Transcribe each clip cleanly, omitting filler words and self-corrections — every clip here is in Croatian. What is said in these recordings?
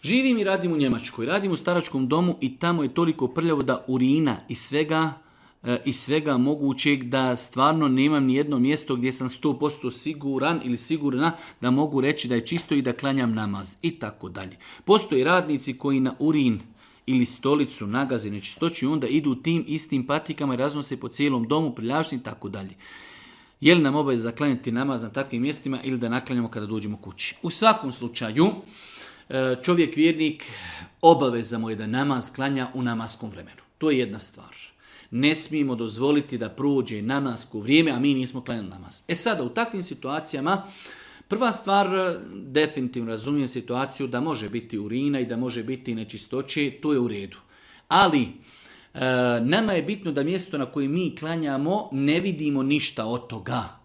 Živim i radim u Njemačkoj, radim u staračkom domu i tamo je toliko prljavo da urina i svega mogućeg da stvarno nemam ni jedno mjesto gdje sam 100% siguran ili sigurna da mogu reći da je čisto i da klanjam namaz i tako dalje. Postoje radnici koji na urin ili stolicu nagaze nečistoću i onda idu tim istim patikama i raznose po cijelom domu, prljavštini i tako dalje. Je li nam obaveza klanjati namaz na takvim mjestima ili da naklanjamo kada dođemo kući? U svakom slučaju, čovjek vjernik obaveza mu je da namaz klanja u namaskom vremenu. To je jedna stvar. Ne smijemo dozvoliti da prođe namasko vrijeme, a mi nismo klanjali namaz. Sada u takvim situacijama, prva stvar, definitivno razumijem situaciju da može biti urina i da može biti nečistoće, to je u redu. Ali nama je bitno da mjesto na koje mi klanjamo ne vidimo ništa od toga.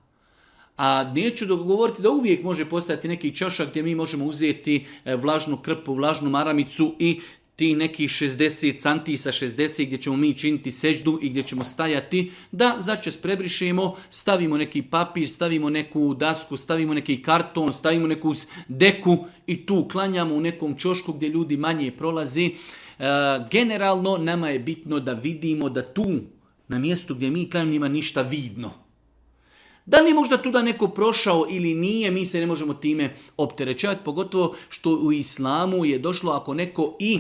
A neću dogovoriti da uvijek može postojati neki čošak gdje mi možemo uzeti vlažnu krpu, vlažnu maramicu i ti nekih 60 santi sa 60 gdje ćemo mi činiti seždu i gdje ćemo stajati, da začas prebrišemo, stavimo neki papir, stavimo neku dasku, stavimo neki karton, stavimo neku deku i tu klanjamo u nekom čošku gdje ljudi manje prolazi. Generalno nama je bitno da vidimo da tu na mjestu gdje mi klanjamo nema ništa vidno. Da li je možda tu da neko prošao ili nije, mi se ne možemo time opterećavati, pogotovo što u islamu je došlo ako neko i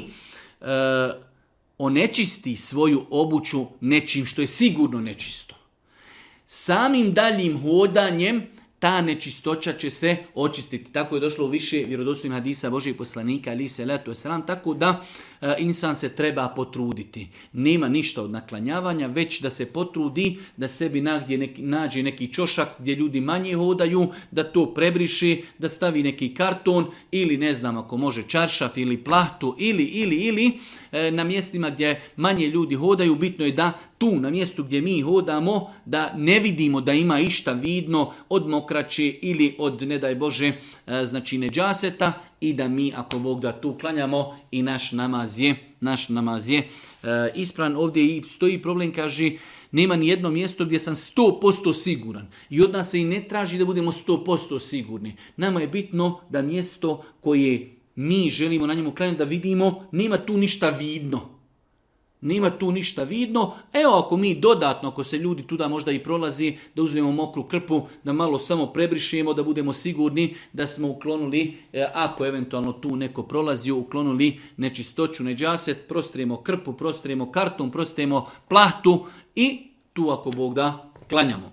onečisti svoju obuću nečim što je sigurno nečisto. Samim daljim hodanjem ta nečistoća će se očistiti. Tako je došlo u više vjerodostojnih hadisa Božijeg poslanika, ali se letu selam, tako da insan se treba potruditi. Nema ništa od naklanjavanja, već da se potrudi, da sebi nađe neki čošak gdje ljudi manje hodaju, da to prebriši, da stavi neki karton ili ne znam ako može čaršaf ili plahtu ili na mjestima gdje manje ljudi hodaju, bitno je da tu na mjestu gdje mi hodamo da ne vidimo da ima išta vidno od mokraće ili od ne daj Bože znači neđaseta i da mi ako Bog da tu klanjamo i naš namaz je ispravan. Ovdje stoji problem, kaže nema ni jedno mjesto gdje sam 100% siguran i od nas se i ne traži da budemo 100% sigurni. Nama je bitno da mjesto koje mi želimo na njemu klanjati da vidimo, nema tu ništa vidno. Nema tu ništa vidno. Evo ako mi dodatno, ako se ljudi tuda možda i prolazi, da uzmemo mokru krpu, da malo samo prebrišemo, da budemo sigurni da smo uklonili, ako eventualno tu neko prolazio, uklonili nečistoću, neđaset, prostrijemo krpu, prostrijemo karton, prostrijemo plahtu i tu ako Bog da klanjamo.